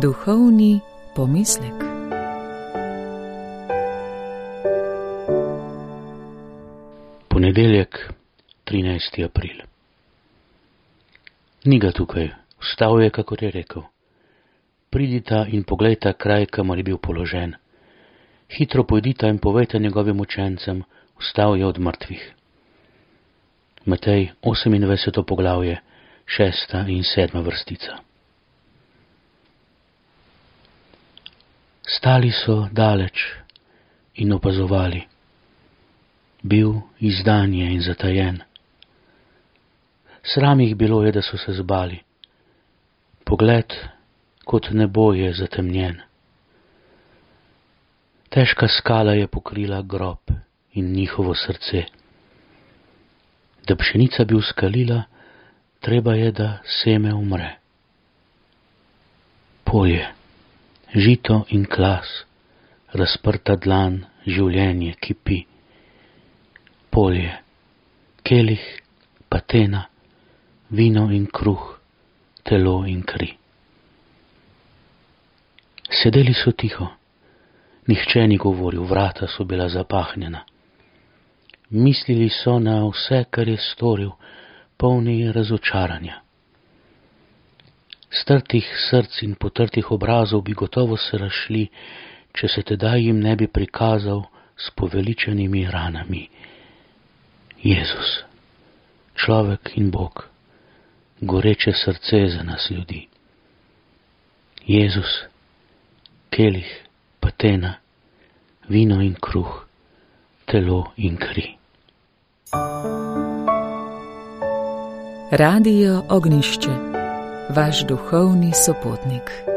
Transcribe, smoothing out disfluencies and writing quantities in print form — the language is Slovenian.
Duhovni pomislek. Ponedeljek, 13. april. Ni ga tukaj, vstal je, kakor je rekel. Pridita in poglejta kraj, kamor je bil položen. Hitro pojdita in povejta njegovim učencem, vstal je od mrtvih. Matej 28. poglavje, 6. in 7. vrstica. Stali so daleč in opazovali. Bil izdan je in zatajen. Sram jih bilo je, da so se zbali. Pogled kot nebo je zatemnjen. Težka skala je pokrila grob in njihovo srce. Da pšenica bi uskalila, treba je, da seme umre. Polje, žito in klas, razprta dlan, življenje kipi. Polje, kelih, patena, vino in kruh, telo in kri. Sedeli so tiho, nihče ni govoril, vrata so bila zapahnjena. Mislili so na vse, kar je storil, polni razočaranja. Strtih src in potrtih obrazov bi gotovo se razšli, če se tedaj jim ne bi prikazal s poveličenimi ranami. Jezus, človek in Bog, goreče srce za nas ljudi. Jezus, kelih, patena, vino in kruh, telo in kri. Radio Ognjišče, vaš duhovni sopotnik.